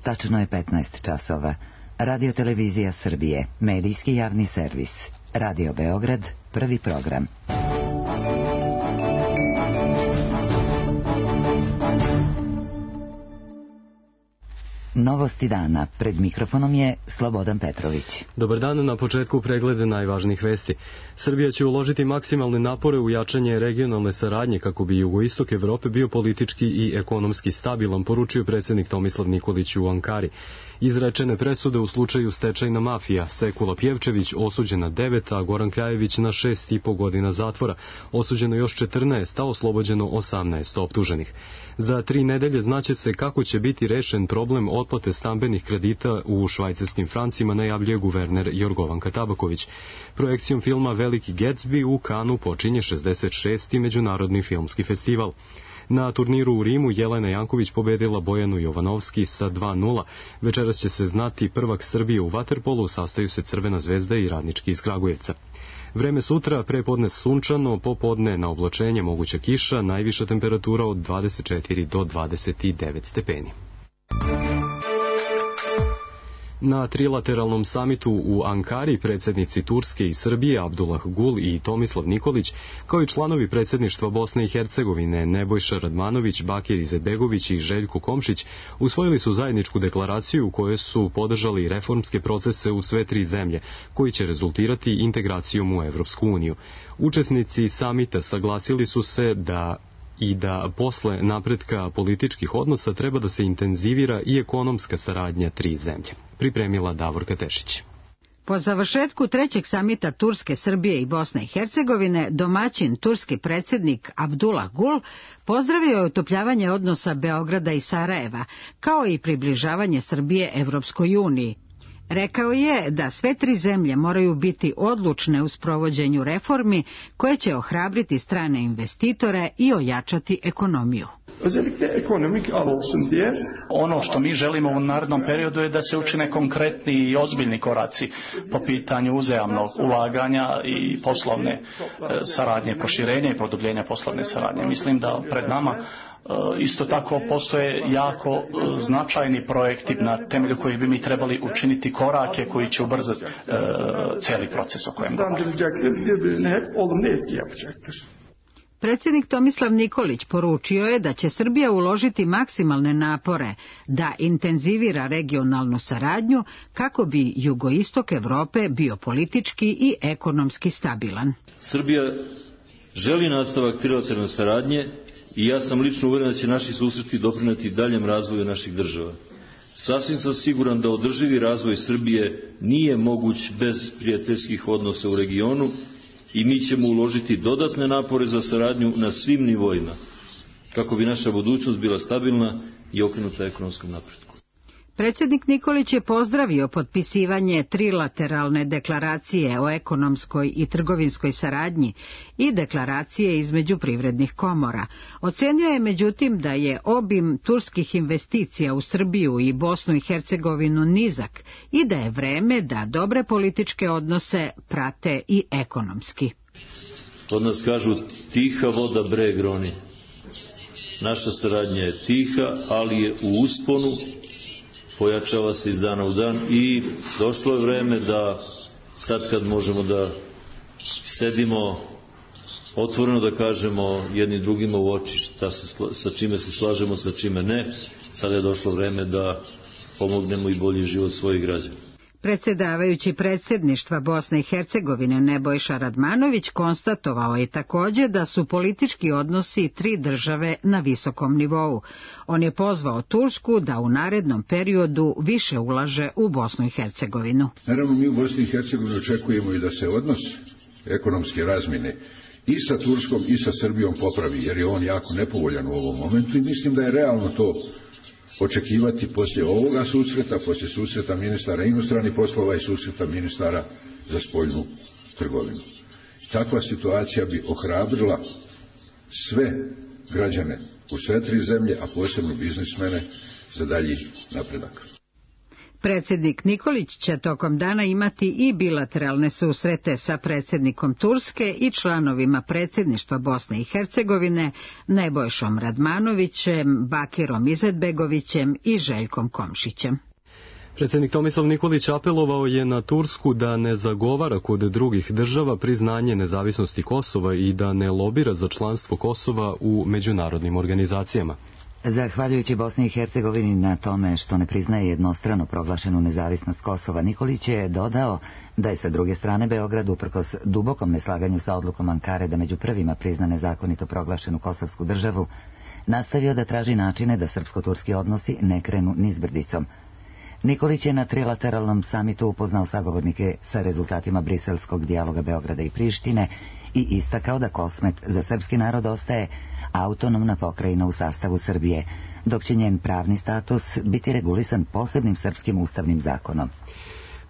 Tačno je 15 časova. Radio Televizija Srbije, medijski javni servis. Radio Beograd, prvi program. Novosti dana. Pred mikrofonom je Slobodan Petrović. Dobar dan, na početku preglede najvažnijih vesti. Srbija će uložiti maksimalne napore u jačanje regionalne saradnje kako bi jugoistok Evrope bio politički i ekonomski stabilan, poručio predsjednik Tomislav Nikolić u Ankari. Izrečene presude u slučaju stečajna mafija, Sekula Pjevčević osuđen na 9, a Goran Kljajević na 6,5 godina zatvora. Osuđeno još 14, a oslobođeno 18 optuženih. Za 3 nedelje znaće se kako će biti rešen problem otplate stambenih kredita u švajcarskim francima, najavljuje guverner Jorgovanka Tabaković. Projekcijom filma Veliki Gatsby u Kanu počinje 66. međunarodni filmski festival. Na turniru u Rimu Jelena Janković pobedila Bojanu Jovanovski sa 2:0. Večeras će se znati prvak Srbije u vaterpolu, sastaju se Crvena zvezda i Radnički iz Kragujevca. Vreme sutra, prepodne sunčano, popodne na oblačenje moguća kiša, najviša temperatura od 24 do 29 stepeni. Na trilateralnom samitu u Ankari predsjednici Turske i Srbije Abdullah Gul i Tomislav Nikolić, kao i članovi predsjedništva Bosne i Hercegovine Nebojša Radmanović, Bakir Izetbegović i Željko Komšić usvojili su zajedničku deklaraciju u kojoj su podržali reformske procese u sve 3 zemlje, koji će rezultirati integracijom u Evropsku uniju. Učesnici samita saglasili su se da posle napretka političkih odnosa treba da se intenzivira i ekonomska saradnja 3 zemlje. Pripremila Davorka Tešić. Po završetku 3. samita Turske, Srbije i Bosne i Hercegovine, domaćin turski predsjednik Abdullah Gul pozdravio je utopljavanje odnosa Beograda i Sarajeva, kao i približavanje Srbije Evropskoj uniji. Rekao je da sve 3 zemlje moraju biti odlučne u sprovođenju reformi koje će ohrabriti strane investitore i ojačati ekonomiju. Ono što mi želimo u narednom periodu je da se učine konkretni i ozbiljni koraci po pitanju uzajamnog ulaganja i poslovne saradnje, proširenja i produbljenja poslovne saradnje. Mislim da pred nama isto tako postoje jako značajni projekti na temelju kojih bi mi trebali učiniti korake koji će ubrzati cijeli proces o kojem govorimo. Predsjednik Tomislav Nikolić poručio je da će Srbija uložiti maksimalne napore da intenzivira regionalnu saradnju kako bi jugoistok Evrope bio politički i ekonomski stabilan. Srbija želi nastavak trilateralne saradnje i ja sam lično uvjeren da će naši susreti doprinijeti daljem razvoju naših država. Sasvim sam siguran da održivi razvoj Srbije nije moguć bez prijateljskih odnosa u regionu i mi ćemo uložiti dodatne napore za saradnju na svim nivoima, kako bi naša budućnost bila stabilna i okrenuta ekonomskom napretku. Predsjednik Nikolić je pozdravio potpisivanje trilateralne deklaracije o ekonomskoj i trgovinskoj saradnji i deklaracije između privrednih komora. Ocenio je međutim da je obim turskih investicija u Srbiju i Bosnu i Hercegovinu nizak i da je vreme da dobre političke odnose prate i ekonomski. Od nas kažu tiha voda breg roni. Naša saradnja je tiha, ali je u usponu, pojačava se iz dana u dan i došlo je vreme da sad kad možemo da sedimo otvoreno da kažemo jedni drugima u oči sa čime se slažemo, sa čime ne, sada je došlo vreme da pomognemo i bolji život svojih građana. Predsjedavajući predsjedništva Bosne i Hercegovine Nebojša Radmanović konstatovao je također da su politički odnosi 3 države na visokom nivou. On je pozvao Tursku da u narednom periodu više ulaže u Bosnu i Hercegovinu. Naravno, mi u Bosni i Hercegovini očekujemo i da se odnos ekonomske razmjene i sa Turskom i sa Srbijom popravi, jer je on jako nepovoljan u ovom momentu i mislim da je realno to očekivati poslije ovoga susreta, poslije susreta ministara inostranih poslova i susreta ministara za spoljnu trgovinu. Takva situacija bi ohrabrila sve građane u sve 3 zemlje, a posebno biznismene za dalji napredak. Predsjednik Nikolić će tokom dana imati i bilateralne susrete sa predsjednikom Turske i članovima predsjedništva Bosne i Hercegovine Nebojšom Radmanovićem, Bakirom Izetbegovićem i Željkom Komšićem. Predsjednik Tomislav Nikolić apelovao je na Tursku da ne zagovara kod drugih država priznanje nezavisnosti Kosova i da ne lobira za članstvo Kosova u međunarodnim organizacijama. Zahvaljujući Bosni i Hercegovini na tome što ne priznaje jednostrano proglašenu nezavisnost Kosova, Nikolić je dodao da je sa druge strane Beograd, uprkos dubokom neslaganju sa odlukom Ankare da među prvima prizna nezakonito proglašenu kosovsku državu, nastavio da traži načine da srpsko-turski odnosi ne krenu nizbrdicom. Nikolić je na trilateralnom samitu upoznao sagovornike sa rezultatima briselskog dijaloga Beograda i Prištine i istakao da Kosmet za srpski narod ostaje autonomna pokrajina u sastavu Srbije, dok će njen pravni status biti regulisan posebnim srpskim ustavnim zakonom.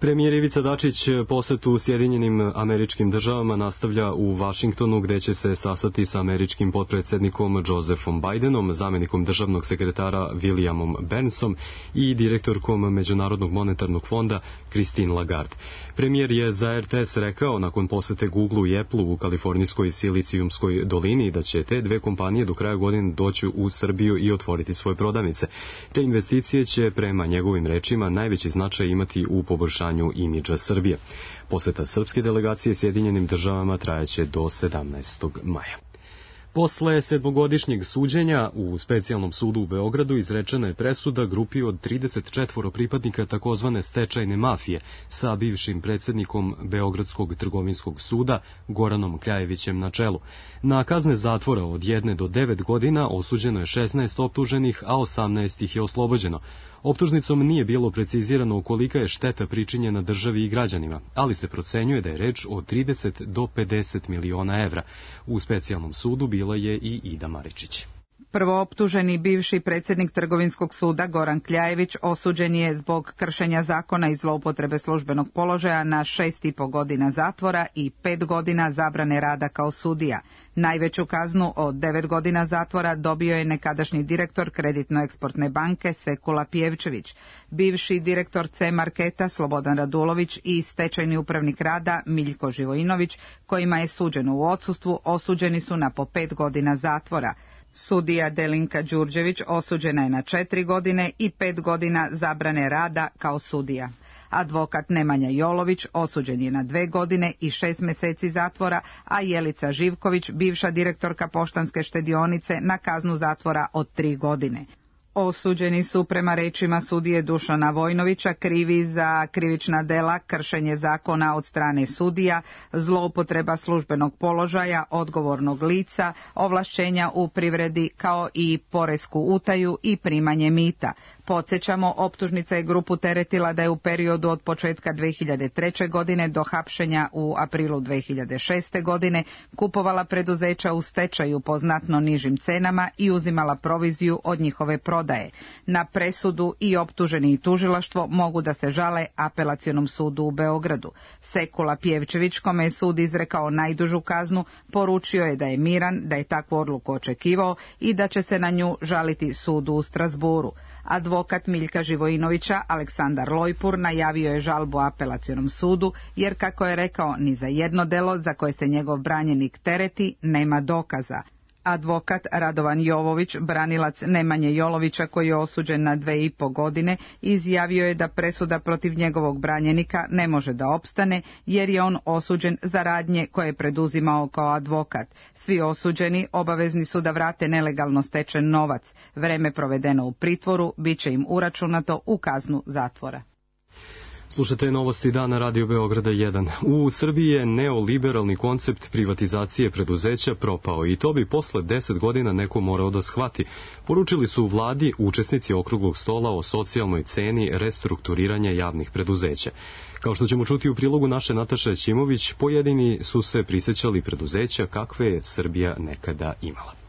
Premijer Ivica Dačić posetu Sjedinjenim Američkim Državama nastavlja u Vašingtonu, gde će se sastati sa američkim potpredsjednikom Josephom Bidenom, zamjenikom državnog sekretara Williamom Burnsom i direktorkom Međunarodnog monetarnog fonda Christine Lagarde. Premijer je za RTS rekao nakon posete Google-u i Apple-u u kalifornijskoj Silicijumskoj dolini da će te dve kompanije do kraja godine doći u Srbiju i otvoriti svoje prodavnice. Te investicije će, prema njegovim rečima, najveći značaj imati u poboljšanju imidža Srbije. Poseta srpske delegacije Sjedinjenim Državama trajaće do 17. maja. Posle 7-godišnjeg suđenja u specijalnom sudu u Beogradu izrečena je presuda grupi od 34 pripadnika takozvane stečajne mafije sa bivšim predsjednikom Beogradskog trgovinskog suda Goranom Kljajevićem na čelu. Na kazne zatvora od 1 do 9 godina osuđeno je 16 optuženih, a 18 ih je oslobođeno. Optužnicom nije bilo precizirano kolika je šteta pričinjena državi i građanima, ali se procenjuje da je reč o 30 do 50 miliona evra. U specijalnom sudu bila je i Ida Maričić. Prvooptuženi bivši predsjednik Trgovinskog suda Goran Kljajević osuđen je zbog kršenja zakona i zloupotrebe službenog položaja na 6,5 godina zatvora i 5 godina zabrane rada kao sudija. Najveću kaznu od 9 godina zatvora dobio je nekadašnji direktor Kreditno-eksportne banke Sekula Pjevčević, bivši direktor C Marketa Slobodan Radulović i stečajni upravnik rada Miljko Živojinović, kojima je suđeno u odsustvu, osuđeni su na po 5 godina zatvora. Sudija Delinka Đurđević osuđena je na 4 godine i 5 godina zabrane rada kao sudija. Advokat Nemanja Jolović osuđen je na 2 godine i 6 mjeseci zatvora, a Jelica Živković, bivša direktorka Poštanske štedionice, na kaznu zatvora od 3 godine. Osuđeni su prema rečima sudije Dušana Vojnovića krivi za krivična dela, kršenje zakona od strane sudija, zloupotreba službenog položaja, odgovornog lica, ovlašćenja u privredi kao i poresku utaju i primanje mita. Podsjećamo, optužnica je grupu teretila da je u periodu od početka 2003. godine do hapšenja u aprilu 2006. godine kupovala preduzeća u stečaju po znatno nižim cenama i uzimala proviziju od njihove prodaje. Na presudu i optuženi i tužilaštvo mogu da se žale Apelacionom sudu u Beogradu. Sekula Pjevčević, kome je sud izrekao najdužu kaznu, poručio je da je miran, da je takvu odluku očekivao i da će se na nju žaliti sudu u Strasburu. Advokat Miljka Živojinovića, Aleksandar Lojpur, najavio je žalbu Apelacionom sudu, jer, kako je rekao, ni za jedno delo za koje se njegov branjenik tereti nema dokaza. Advokat Radovan Jovović, branilac Nemanje Jolovića, koji je osuđen na 2,5 godine, izjavio je da presuda protiv njegovog branjenika ne može da opstane, jer je on osuđen za radnje koje je preduzimao kao advokat. Svi osuđeni obavezni su da vrate nelegalno stečen novac. Vreme provedeno u pritvoru bit će im uračunato u kaznu zatvora. Slušate novosti dana Radio Beograda 1. U Srbiji je neoliberalni koncept privatizacije preduzeća propao i to bi posle 10 godina neko morao da shvati. Poručili su u vladi učesnici okruglog stola o socijalnoj ceni restrukturiranja javnih preduzeća. Kao što ćemo čuti u prilogu naše Nataše Ćimović, pojedini su se prisjećali preduzeća kakve je Srbija nekada imala.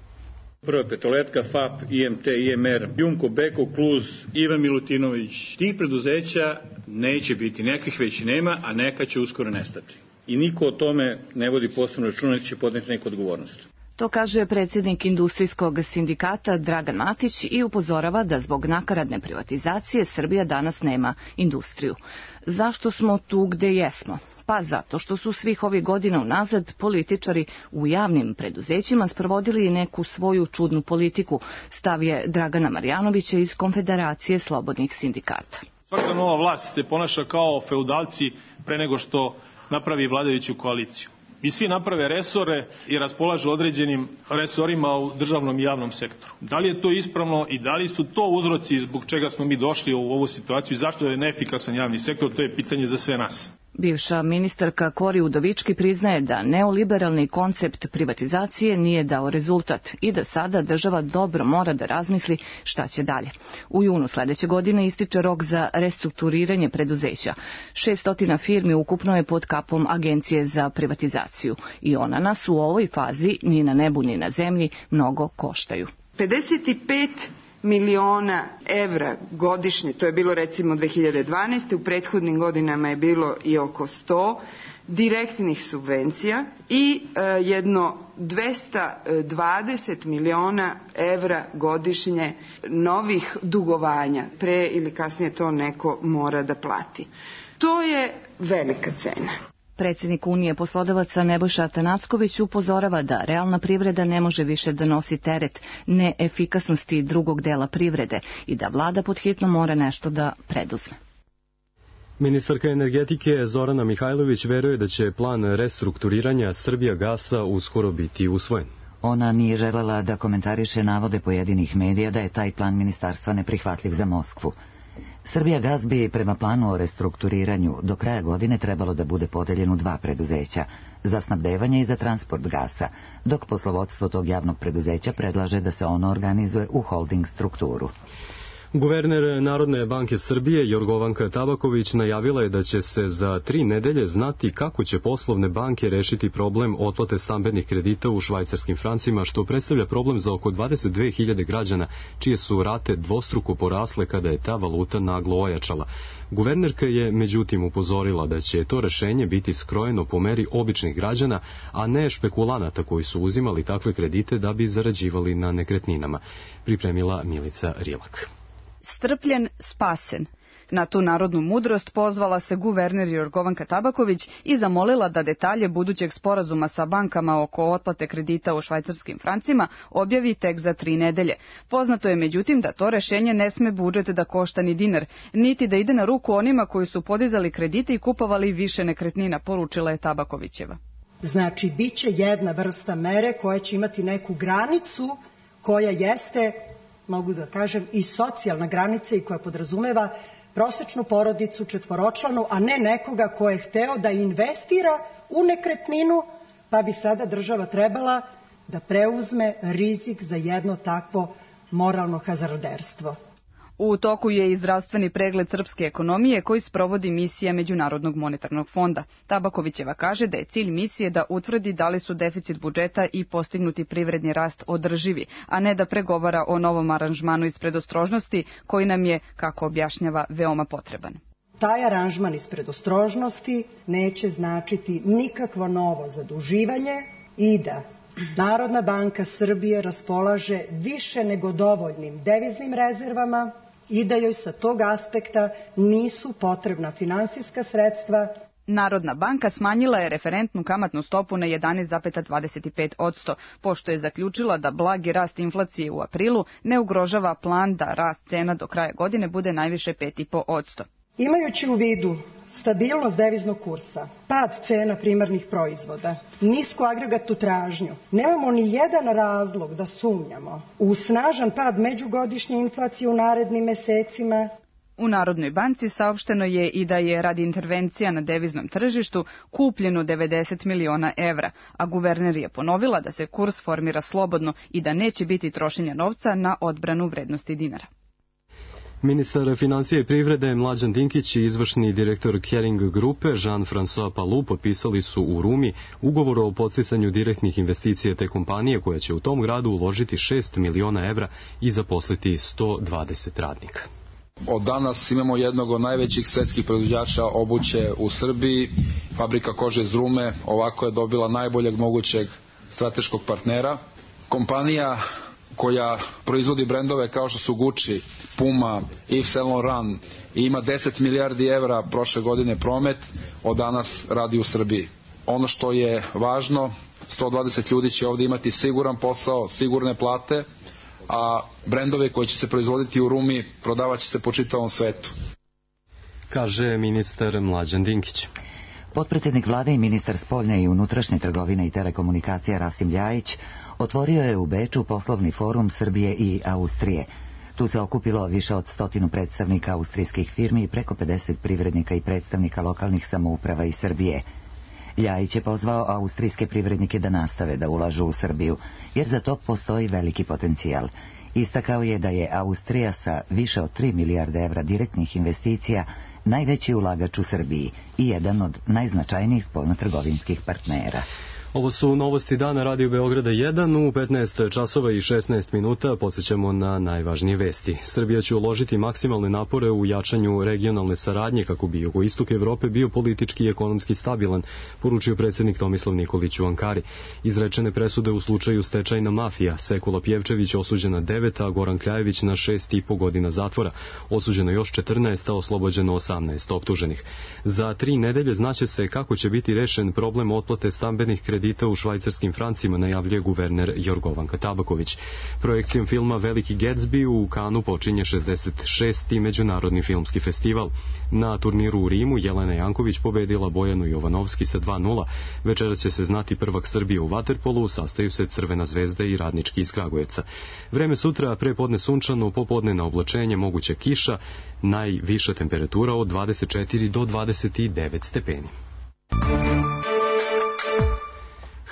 Prva petoletka, FAP, IMT, IMR, Jumko, Beko, Kluz, Ivan Milutinović. Tih preduzeća neće biti, nekih već nema, a neka će uskoro nestati. I niko o tome ne vodi posebno računa, će podneti neku odgovornost. To kaže predsjednik industrijskog sindikata Dragan Matić i upozorava da zbog nakaradne privatizacije Srbija danas nema industriju. Zašto smo tu gde jesmo? Pa zato što su svih ovih godina unazad političari u javnim preduzećima sprovodili neku svoju čudnu politiku, stav je Dragana Marjanovića iz Konfederacije slobodnih sindikata. Svaka nova vlast se ponaša kao feudalci pre nego što napravi vladajuću koaliciju. I svi naprave resore i raspolažu određenim resorima u državnom i javnom sektoru. Da li je to ispravno i da li su to uzroci zbog čega smo mi došli u ovu situaciju i zašto je neefikasan javni sektor, to je pitanje za sve nas. Bivša ministarka Kori Udovički priznaje da neoliberalni koncept privatizacije nije dao rezultat i da sada država dobro mora da razmisli šta će dalje. U junu sledeće godine ističe rok za restrukturiranje preduzeća. 600 firmi ukupno je pod kapom Agencije za privatizaciju i ona nas u ovoj fazi ni na nebu ni na zemlji mnogo koštaju. 55 miliona evra godišnje, to je bilo recimo 2012. U prethodnim godinama je bilo i oko 100 direktnih subvencija i jedno 220 miliona evra godišnje novih dugovanja. Pre ili kasnije to neko mora da plati. To je velika cena. Predsjednik Unije poslodavaca Nebojša Atanacković upozorava da realna privreda ne može više da nosi teret neefikasnosti drugog dela privrede i da vlada pod hitno mora nešto da preduzme. Ministarka energetike Zorana Mihajlović veruje da će plan restrukturiranja Srbijagasa uskoro biti usvojen. Ona nije želela da komentariše navode pojedinih medija da je taj plan ministarstva neprihvatljiv za Moskvu. Srbijagas bi prema planu o restrukturiranju do kraja godine trebalo da bude podeljen u 2 preduzeća, za snabdevanje i za transport gasa, dok poslovodstvo tog javnog preduzeća predlaže da se ono organizuje u holding strukturu. Guverner Narodne banke Srbije Jorgovanka Tabaković najavila je da će se za 3 nedelje znati kako će poslovne banke rešiti problem otplate stambenih kredita u švajcarskim francima, što predstavlja problem za oko 22.000 građana, čije su rate dvostruko porasle kada je ta valuta naglo ojačala. Guvernerka je međutim upozorila da će to rešenje biti skrojeno po meri običnih građana, a ne špekulanata koji su uzimali takve kredite da bi zarađivali na nekretninama, pripremila Milica Rilak. Strpljen, spasen. Na tu narodnu mudrost pozvala se guverner Jorgovanka Tabaković i zamolila da detalje budućeg sporazuma sa bankama oko otplate kredita u švajcarskim francima objavi tek za 3 nedelje. Poznato je međutim da to rešenje ne sme budžet da košta ni dinar, niti da ide na ruku onima koji su podizali kredite i kupovali više nekretnina, poručila je Tabakovićeva. Znači, bit će jedna vrsta mere koja će imati neku granicu koja jeste, mogu da kažem, i socijalna granica i koja podrazumeva prosečnu porodicu, 4-članu, a ne nekoga ko je hteo da investira u nekretninu, pa bi sada država trebala da preuzme rizik za jedno takvo moralno hazarderstvo. U toku je i zdravstveni pregled srpske ekonomije koji sprovodi misija Međunarodnog monetarnog fonda. Tabakovićeva kaže da je cilj misije da utvrdi da li su deficit budžeta i postignuti privredni rast održivi, a ne da pregovara o novom aranžmanu iz predostrožnosti koji nam je, kako objašnjava, veoma potreban. Taj aranžman iz predostrožnosti neće značiti nikakvo novo zaduživanje i da Narodna banka Srbije raspolaže više nego dovoljnim deviznim rezervama i da joj sa tog aspekta nisu potrebna finansijska sredstva. Narodna banka smanjila je referentnu kamatnu stopu na 11,25%, pošto je zaključila da blagi rast inflacije u aprilu ne ugrožava plan da rast cena do kraja godine bude najviše 5,5%. Imajući u vidu stabilnost deviznog kursa, pad cena primarnih proizvoda, nisku agregatnu tražnju, nemamo ni jedan razlog da sumnjamo u snažan pad međugodišnje inflacije u narednim mesecima. U Narodnoj banci saopšteno je i da je radi intervencija na deviznom tržištu kupljeno 90 miliona evra, a guverner je ponovila da se kurs formira slobodno i da neće biti trošenja novca na odbranu vrednosti dinara. Ministar financije i privrede Mlađan Dinkić i izvršni direktor Kering grupe Jean-François Palou potpisali su u Rumi ugovor o podsticanju direktnih investicija te kompanije koja će u tom gradu uložiti 6 miliona evra i zaposliti 120 radnika. Od danas imamo jednog od najvećih svetskih proizvođača obuće u Srbiji, fabrika kože iz Rume, ovako je dobila najboljeg mogućeg strateškog partnera. Kompanija koja proizvodi brendove kao što su Gucci, Puma, Yves Saint Laurent i ima 10 milijardi evra prošle godine promet, od danas radi u Srbiji. Ono što je važno, 120 ljudi će ovdje imati siguran posao, sigurne plate, a brendove koji će se proizvoditi u Rumi prodavat će se po čitavom svetu. Kaže ministar Mlađan Dinkić. Potpredsjednik vlade i ministar spoljne i unutrašnje trgovine i telekomunikacija Rasim Ljajić otvorio je u Beču poslovni forum Srbije i Austrije. Tu se okupilo više od 100 predstavnika austrijskih firmi i preko 50 privrednika i predstavnika lokalnih samouprava iz Srbije. Ljajić je pozvao austrijske privrednike da nastave da ulažu u Srbiju, jer za to postoji veliki potencijal. Istakao je da je Austrija sa više od 3 milijarde evra direktnih investicija najveći ulagač u Srbiji i jedan od najznačajnijih spoljnotrgovinskih partnera. Ovo su novosti dana Radio Beograda 1 u 15 časova i 16 minuta. Podsjećamo na najvažnije vesti. Srbija će uložiti maksimalne napore u jačanju regionalne saradnje kako bi jugoistok Evrope bio politički i ekonomski stabilan, poručio predsjednik Tomislav Nikolić u Ankari. Izrečene presude u slučaju stečajna mafija. Sekula Pjevčević osuđena 9, a Goran Kljajević na 6,5 godina zatvora. Osuđeno još 14, a oslobođeno 18 optuženih. Za 3 nedelje znaće se kako će biti rešen problem otplate stambenih kredita u švajcarskim francima, najavljuje guverner Jorgovanka Tabaković. Projekcijom filma Veliki Gatsby u Kanu počinje 66. međunarodni filmski festival. Na turniru u Rimu Jelena Janković pobedila Bojanu Jovanovski sa 2:0. Večeras će se znati prvak Srbije u vaterpolu, sastaju se Crvena zvezda i Radnički iz Kragujevca. Vreme sutra, prepodne sunčano, popodne na oblačenje, moguća kiša, najviša temperatura od 24 do 29 stepeni.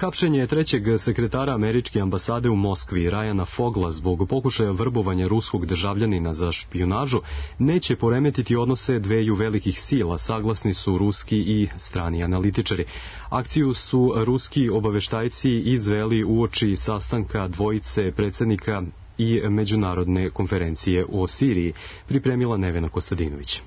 Hapšenje trećeg sekretara američke ambasade u Moskvi, Ryana Fogla, zbog pokušaja vrbovanja ruskog državljanina za špijunažu, neće poremetiti odnose dveju velikih sila, saglasni su ruski i strani analitičari. Akciju su ruski obaveštajci izveli uoči sastanka dvojice predsjednika i međunarodne konferencije o Siriji, pripremila Nevena Kostadinović.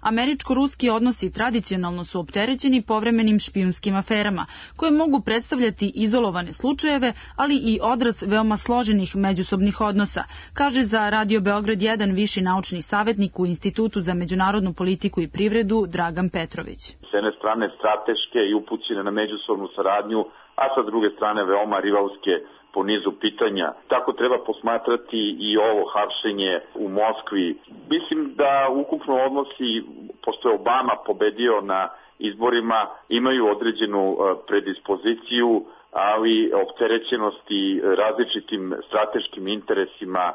Američko-ruski odnosi tradicionalno su opterećeni povremenim špijunskim aferama, koje mogu predstavljati izolovane slučajeve, ali i odraz veoma složenih međusobnih odnosa, kaže za Radio Beograd 1 viši naučni savjetnik u Institutu za međunarodnu politiku i privredu Dragan Petrović. S jedne strane strateške i upućene na međusobnu saradnju, a sa druge strane veoma rivalske po nizu pitanja. Tako treba posmatrati i ovo hapšenje u Moskvi. Mislim da ukupno odnosi, pošto je Obama pobedio na izborima, imaju određenu predispoziciju, ali opterećenosti različitim strateškim interesima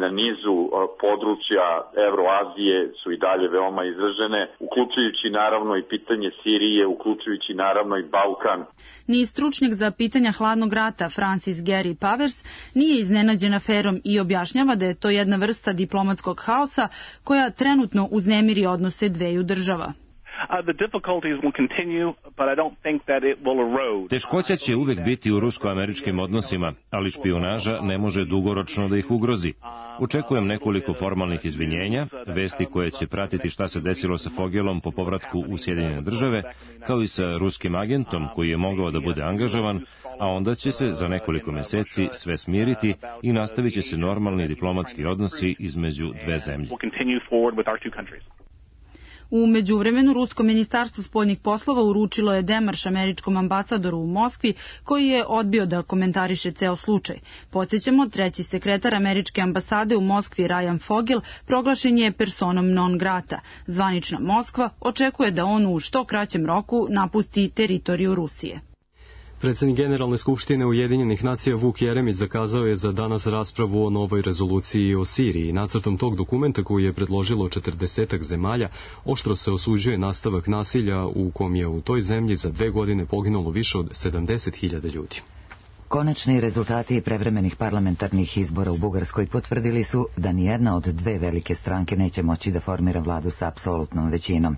na nizu područja Evroazije su i dalje veoma izražene, uključujući naravno i pitanje Sirije, uključujući naravno i Balkan. Ni stručnjak za pitanja hladnog rata Francis Gary Powers nije iznenađen aferom i objašnjava da je to jedna vrsta diplomatskog haosa koja trenutno uznemiri odnose dveju država. Teškoća će uvek biti u rusko-američkim odnosima, ali špijunaža ne može dugoročno da ih ugrozi. Očekujem nekoliko formalnih izvinjenja, vesti koje će pratiti šta se desilo sa Fogelom po povratku u Sjedinjene države, kao i sa ruskim agentom koji je mogao da bude angažovan, a onda će se za nekoliko meseci sve smiriti i nastavit će se normalni diplomatski odnosi između dve zemlje. U međuvremenu, Rusko ministarstvo spoljnih poslova uručilo je demarš američkom ambasadoru u Moskvi, koji je odbio da komentariše ceo slučaj. Podsjećamo, treći sekretar američke ambasade u Moskvi, Ryan Fogel, proglašen je personom non grata. Zvanična Moskva očekuje da on u što kraćem roku napusti teritoriju Rusije. Predsjednik Generalne skupštine Ujedinjenih nacija Vuk Jeremić zakazao je za danas raspravu o novoj rezoluciji o Siriji. Nacrtom tog dokumenta koji je predložilo 40 zemalja oštro se osuđuje nastavak nasilja u kom je u toj zemlji za 2 godine poginulo više od 70.000 ljudi. Konačni rezultati prevremenih parlamentarnih izbora u Bugarskoj potvrdili su da nijedna od dve velike stranke neće moći da formira vladu sa apsolutnom većinom.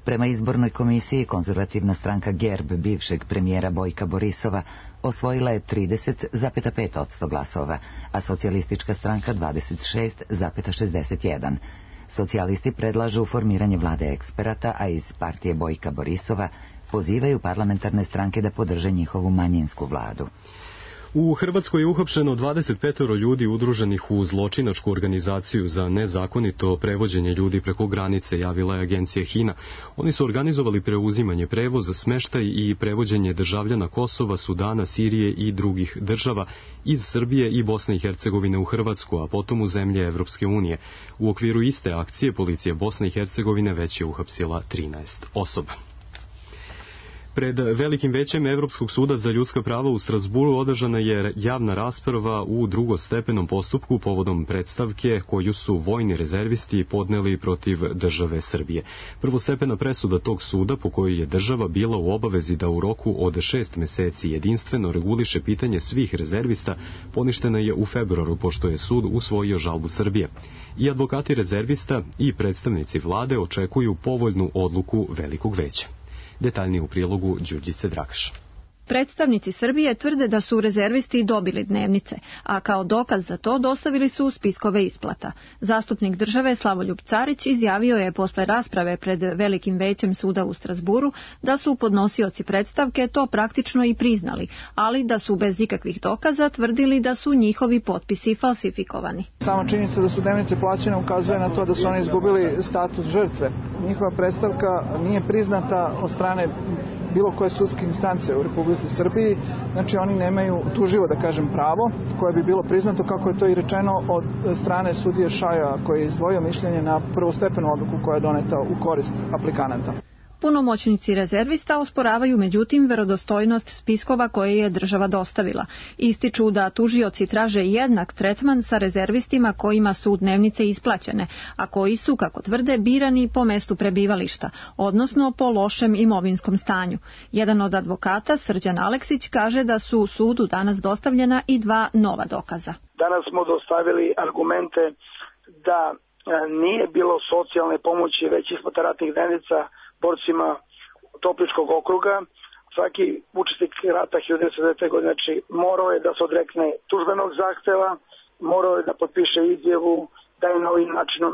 Prema izbornoj komisiji, konzervativna stranka GERB bivšeg premijera Bojka Borisova osvojila je 30,5% glasova, a socijalistička stranka 26,61%. Socijalisti predlažu formiranje vlade eksperata, a iz partije Bojka Borisova pozivaju parlamentarne stranke da podrže njihovu manjinsku vladu. U Hrvatskoj je uhapšeno 25 ljudi udruženih u zločinačku organizaciju za nezakonito prevođenje ljudi preko granice, javila je agencija HINA. Oni su organizovali preuzimanje prevoza, smeštaj i prevođenje državljana Kosova, Sudana, Sirije i drugih država iz Srbije i Bosne i Hercegovine u Hrvatsku, a potom u zemlje Evropske unije. U okviru iste akcije policija Bosne i Hercegovine već je uhapsila 13 osoba. Pred Velikim većem Evropskog suda za ljudska prava u Strasburu održana je javna rasprava u drugostepenom postupku povodom predstavke koju su vojni rezervisti podneli protiv države Srbije. Prvostepena presuda tog suda, po kojoj je država bila u obavezi da u roku od 6 meseci jedinstveno reguliše pitanje svih rezervista, poništena je u februaru, pošto je sud usvojio žalbu Srbije. I advokati rezervista i predstavnici vlade očekuju povoljnu odluku Velikog veća. Detaljnije u prilogu Đurđice Drakaš. Predstavnici Srbije tvrde da su rezervisti dobili dnevnice, a kao dokaz za to dostavili su spiskove isplata. Zastupnik države Slavoljub Carić izjavio je posle rasprave pred Velikim većem suda u Strasburu da su podnosioci predstavke to praktično i priznali, ali da su bez ikakvih dokaza tvrdili da su njihovi potpisi falsifikovani. Sama činjenica da su dnevnice plaćene ukazuje na to da su oni izgubili status žrtve. Njihova predstavka nije priznata od strane bilo koje sudske instance u Republici Srbiji, znači oni nemaju tuživo, da kažem, pravo koje bi bilo priznato, kako je to i rečeno od strane sudije Šaja, koji je izdvojio mišljenje na prvostepenu odluku koja je doneta u korist aplikanata. Punomoćnici rezervista osporavaju međutim verodostojnost spiskova koje je država dostavila. Ističu da tužioci traže jednak tretman sa rezervistima kojima su dnevnice isplaćene, a koji su, kako tvrde, birani po mestu prebivališta, odnosno po lošem imovinskom stanju. Jedan od advokata, Srđan Aleksić, kaže da su sudu danas dostavljena i 2 nova dokaza. Danas smo dostavili argumente da nije bilo socijalne pomoći već isplata ratnih dnevnica borcima Topličkog okruga. Svaki učesnik rata 1909. godine, znači, morao je da se odrekne tužbenog zahteva, morao je da potpiše izjavu da je na ovim načinom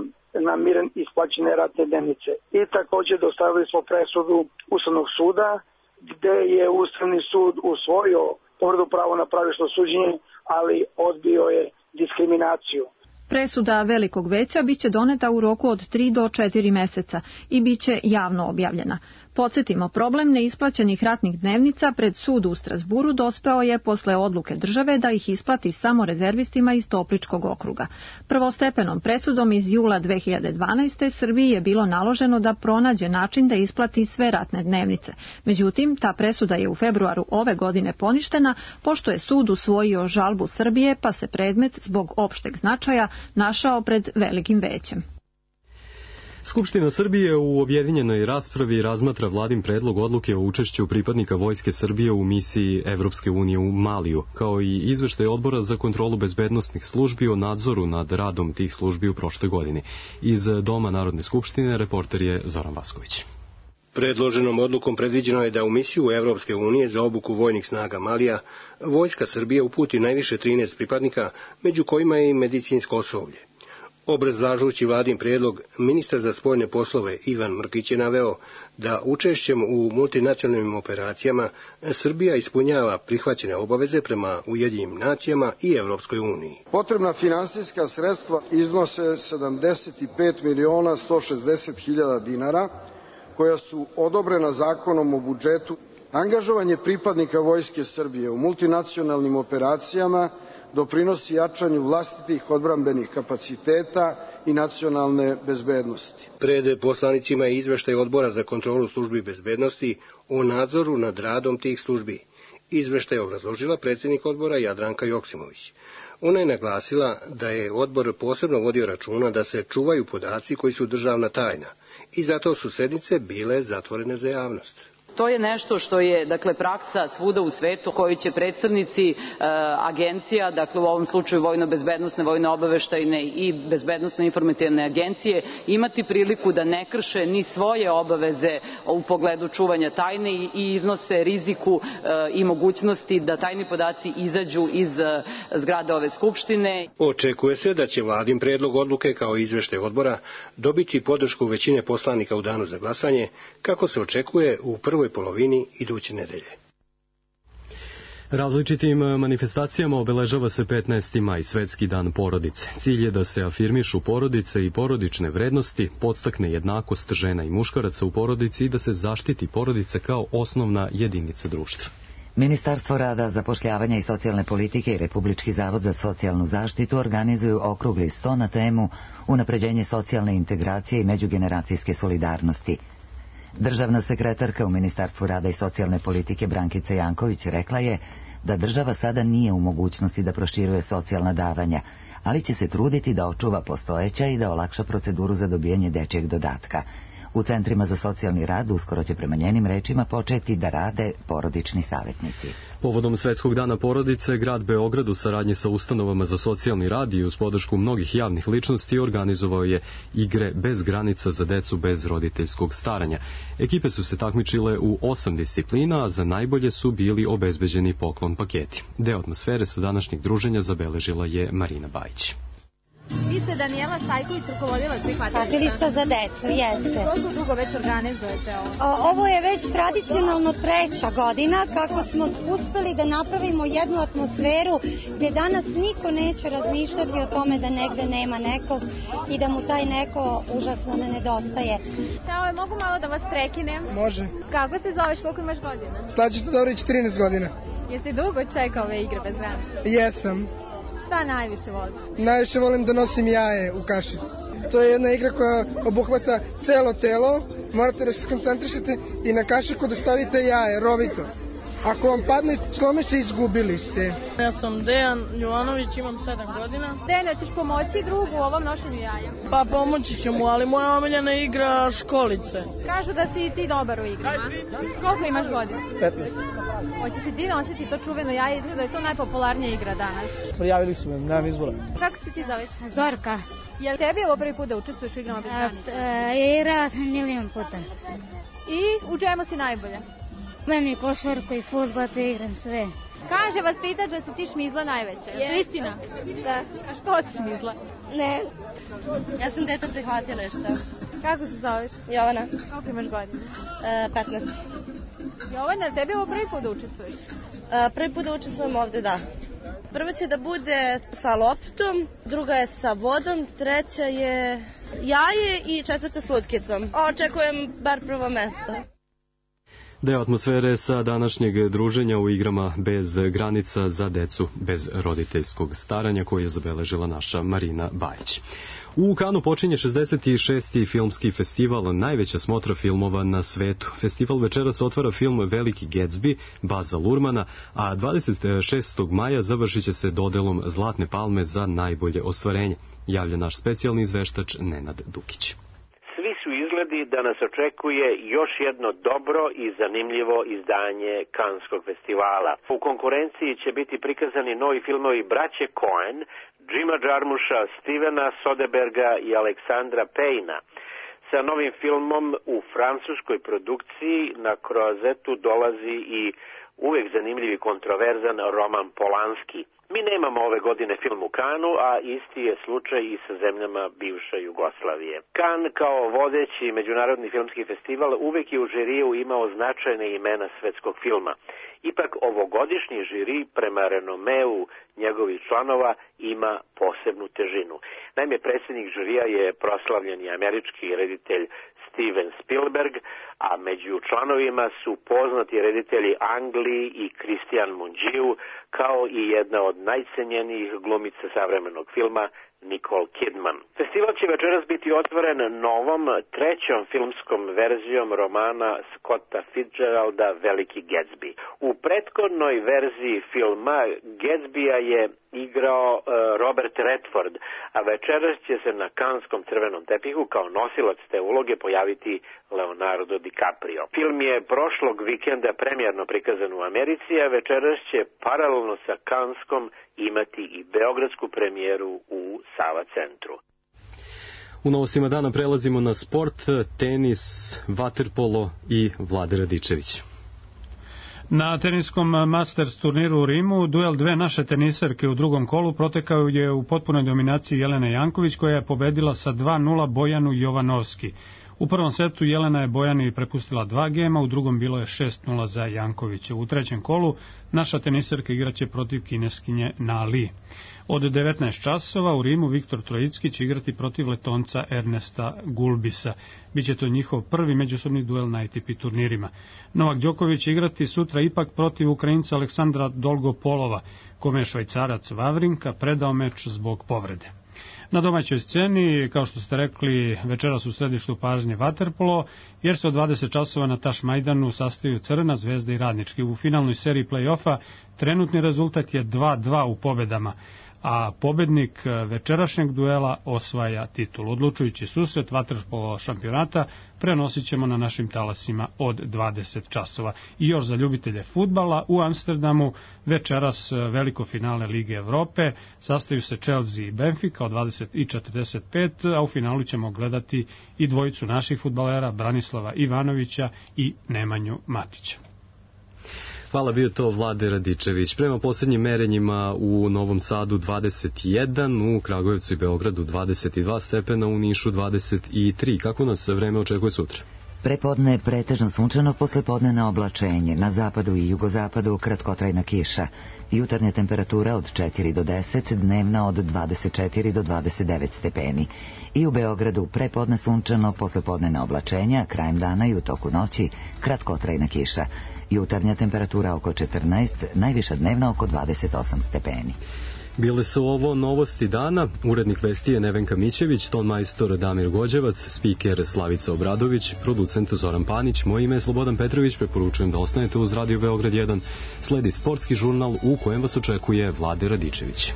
namiren isplaćene ratne dnevnice. I također dostavili smo presudu Ustavnog suda, gde je Ustavni sud usvojio povredu pravo na pravično suđenje, ali odbio je diskriminaciju. Presuda Velikog veća biće doneta u roku od 3 do 4 meseca i biće javno objavljena. Podsjetimo, problem neisplaćenih ratnih dnevnica pred sud u Strasburu dospeo je posle odluke države da ih isplati samo rezervistima iz Topličkog okruga. Prvostepenom presudom iz jula 2012. Srbiji je bilo naloženo da pronađe način da isplati sve ratne dnevnice. Međutim, ta presuda je u februaru ove godine poništena, pošto je sud usvojio žalbu Srbije, pa se predmet zbog opšteg značaja našao pred Velikim većem. Skupština Srbije u objedinjenoj raspravi razmatra vladin predlog odluke o učešću pripadnika Vojske Srbije u misiji Evropske unije u Maliju, kao i izveštaj Odbora za kontrolu bezbednosnih službi o nadzoru nad radom tih službi u prošloj godini. Iz Doma Narodne skupštine reporter je Zoran Vasković. Predloženom odlukom predviđeno je da u misiju Evropske unije za obuku vojnih snaga Malija Vojska Srbije uputi najviše 13 pripadnika, među kojima je i medicinsko osoblje. Obrazlažući vladin prijedlog, ministar za spoljne poslove Ivan Mrkić je naveo da učešćem u multinacionalnim operacijama Srbija ispunjava prihvaćene obaveze prema Ujedinjenim nacijama i Evropskoj uniji. Potrebna finansijska sredstva iznose 75.160.000 dinara, koja su odobrena zakonom o budžetu. Angažovanje pripadnika Vojske Srbije u multinacionalnim operacijama doprinosi jačanju vlastitih odbrambenih kapaciteta i nacionalne bezbednosti. Pred poslanicima je izveštaj Odbora za kontrolu službi bezbednosti o nadzoru nad radom tih službi. Izveštaj je obrazložila predsjednik odbora Jadranka Joksimović. Ona je naglasila da je odbor posebno vodio računa da se čuvaju podaci koji su državna tajna i zato su sednice bile zatvorene za javnost. To je nešto što je, dakle, praksa svuda u svetu koju će predstavnici agencija, dakle u ovom slučaju vojno-bezbednosne, vojno-obaveštajne i bezbednosno-informativne agencije, imati priliku da ne krše ni svoje obaveze u pogledu čuvanja tajne i iznose riziku i mogućnosti da tajni podaci izađu iz zgrade ove skupštine. Očekuje se da će vladin predlog odluke kao izveštaj odbora dobiti podršku većine poslanika u danu za glasanje, kako se očekuje u prvom prvoj polovini iduće nedelje. Različitim manifestacijama obeležava se 15. maj, Svetski dan porodice. Cilj je da se afirmišu porodice i porodične vrednosti, podstakne jednakost žena i muškaraca u porodici i da se zaštiti porodica kao osnovna jedinica društva. Ministarstvo rada, zapošljavanja i socijalne politike i Republički zavod za socijalnu zaštitu organizuju okrugli sto na temu unapređenje socijalne integracije i međugeneracijske solidarnosti. Državna sekretarka u Ministarstvu rada i socijalne politike Brankica Janković rekla je da država sada nije u mogućnosti da proširuje socijalna davanja, ali će se truditi da očuva postojeća i da olakša proceduru za dobijanje dečjeg dodatka. U centrima za socijalni rad uskoro će prema njenim rečima početi da rade porodični savjetnici. Povodom Svetskog dana porodice, grad Beograd u saradnji sa ustanovama za socijalni rad i uz podršku mnogih javnih ličnosti organizovao je igre bez granica za decu bez roditeljskog staranja. Ekipe su se takmičile u 8 disciplina, a za najbolje su bili obezbeđeni poklon paketi. Deo atmosfere sa današnjeg druženja zabeležila je Marina Bajić. Vi ste Danijela Stajković, rukovodilac prihvatilišta za decu, jeste. Koliko dugo već organizujete ovo? Ovo je već tradicionalno 3. godina kako smo uspeli da napravimo jednu atmosferu gdje danas niko neće razmišljati o tome da negde nema nekog i da mu taj neko užasno ne nedostaje. Ćao, mogu malo da vas prekinem? Može. Kako se zoveš, koliko imaš godina? Slađe Todorović, 13 godina. Jesi dugo čekao ove igre bez granica? Jesam. Šta najviše voliš? Najviše volim da nosim jaje u kašici. To je jedna igra koja obuhvata celo telo, morate da se koncentrišete i na kašiku da stavite jaje, rovito. Ako vam padne, slome se, izgubili ste. Ja sam Dejan Jovanović, imam 7 godina. Dejan, ćeš pomoći drugu u ovom nošenju jaja? Pa pomoći ću mu, ali moja omiljena igra školice. Kažu da si i ti dobar u igrama. Koliko imaš godina? 15. Hoćeš i ti nositi to čuveno jaje, izgleda da je to najpopularnija igra danas. Prijavili su me, nemam izbora. Kako se ti zoveš? Zorka. Je li tebi ovo prvi put da učestvuješ u igrama bez granica? Igrala sam milion puta. I u čemu si najbolja? Imam i košarku i fudbal, te igram sve. Kaže vas pitač da si ti šmizla najveća. Je to istina? Da. A što si šmizla? Ne. Ja sam deta prihvatilišta. Kako se zoveš? Jovana. Koliko imaš godina? 15. Jovana, tebi ovo prvi put da učestvuješ? Prvi put da učestvujem ovde, da. Prva će da bude sa loptom, druga je sa vodom, treća je jaje i četvrta s lutkicom. Očekujem bar prvo mesto. Deo atmosfere sa današnjeg druženja u igrama bez granica za decu bez roditeljskog staranja koju je zabeležila naša Marina Bajić. U Kanu počinje 66. filmski festival, najveća smotra filmova na svetu. Festival večeras otvara film Veliki Gatsby, Baza Lurmana, a 26. maja završit će se dodelom Zlatne palme za najbolje ostvarenje, javlja naš specijalni izveštač Nenad Dukić. Svi su izgledi da nas očekuje još jedno dobro i zanimljivo izdanje Kanskog festivala. U konkurenciji će biti prikazani novi filmovi braće Coen, Jima Jarmusha, Stevena Soderberga i Aleksandra Payna. Sa novim filmom u francuskoj produkciji na Croisetu dolazi i uvek zanimljiv i kontroverzan Roman Polanski. Mi nemamo ove godine film u Kanu, a isti je slučaj i sa zemljama bivše Jugoslavije. Kan kao vodeći međunarodni filmski festival uvek je u žiriju imao značajne imena svetskog filma. Ipak ovogodišnji žiri prema renomeu njegovih članova ima posebnu težinu. Naime, predsjednik žirija je proslavljeni američki reditelj Steven Spielberg, a među članovima su poznati reditelji Ang Lee i Christian Mungiu, kao i jedna od najcenjenijih glumica savremenog filma Nicole Kidman. Festival će večeras biti otvoren novom, trećom filmskom verzijom romana Scotta Fitzgeralda Veliki Gatsby. U prethodnoj verziji filma Gatsbya je igrao Robert Redford, a večeras će se na Kanskom crvenom tepihu kao nosilac te uloge pojaviti Leonardo DiCaprio. Film je prošlog vikenda premijerno prikazan u Americi, a večeras će paralelno sa Kanskom imati i beogradsku premijeru u Sava centru. U novostima dana prelazimo na sport, tenis, vaterpolo i Vlade Radičević. Na teniskom Masters turniru u Rimu duel dve naše teniserke u drugom kolu protekao je u potpunoj dominaciji Jelena Janković, koja je pobedila sa 2-0 Bojanu Jovanovski. U prvom setu Jelena je Bojani prepustila 2 gema, u drugom bilo je 6-0 za Jankovića. U trećem kolu naša teniserka igraće protiv kineskinje Nali. Od 19 časova u Rimu Viktor Trojicki će igrati protiv Letonca Ernesta Gulbisa. Biće to njihov prvi međusobni duel na ATP turnirima. Novak Đoković će igrati sutra ipak protiv Ukrajinca Aleksandra Dolgopolova, kome je Švajcarac Vavrinka predao meč zbog povrede. Na domaćoj sceni, kao što ste rekli, večeras u središtu pažnje vaterpolo, jer se od 20 časova na Tašmajdanu sastaju Crvena zvezda i Radnički. U finalnoj seriji play-offa trenutni rezultat je 2-2 u pobedama, a pobednik večerašnjeg duela osvaja titul. Odlučujući susret vaterpolo šampionata prenosit ćemo na našim talasima od 20 časova. I još za ljubitelje fudbala, u Amsterdamu večeras veliko finale Lige Evrope, sastaju se Chelsea i Benfica od 20:45, a u finalu ćemo gledati i dvojicu naših fudbalera, Branislava Ivanovića i Nemanju Matića. Hvala, bio to Vlade Radičević. Prema posljednjim merenjima u Novom Sadu 21, u Kragujevcu i Beogradu 22 stepena, u Nišu 23. Kako nas vreme očekuje sutra? Prepodne pretežno sunčano, poslepodne oblačenje. Na zapadu i jugozapadu kratkotrajna kiša. Jutarnja temperatura od 4 do 10, dnevna od 24 do 29 stepeni. I u Beogradu prepodne sunčano, poslepodne oblačenja, krajem dana i u toku noći kratkotrajna kiša. Jutarnja temperatura oko 14, najviša dnevna oko 28 stepeni. Bile su ovo novosti dana. Urednik vesti je Nevenka Mićević, ton majstor Damir Gođevac, spiker Slavica Obradović, producent Zoran Panić. Moje ime je Slobodan Petrović, preporučujem da ostanete uz Radio Beograd 1. Sledi sportski žurnal u kojem vas očekuje Vlade Radičević.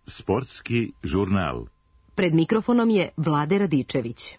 Sportski žurnal. Pred mikrofonom je Vlade Radičević.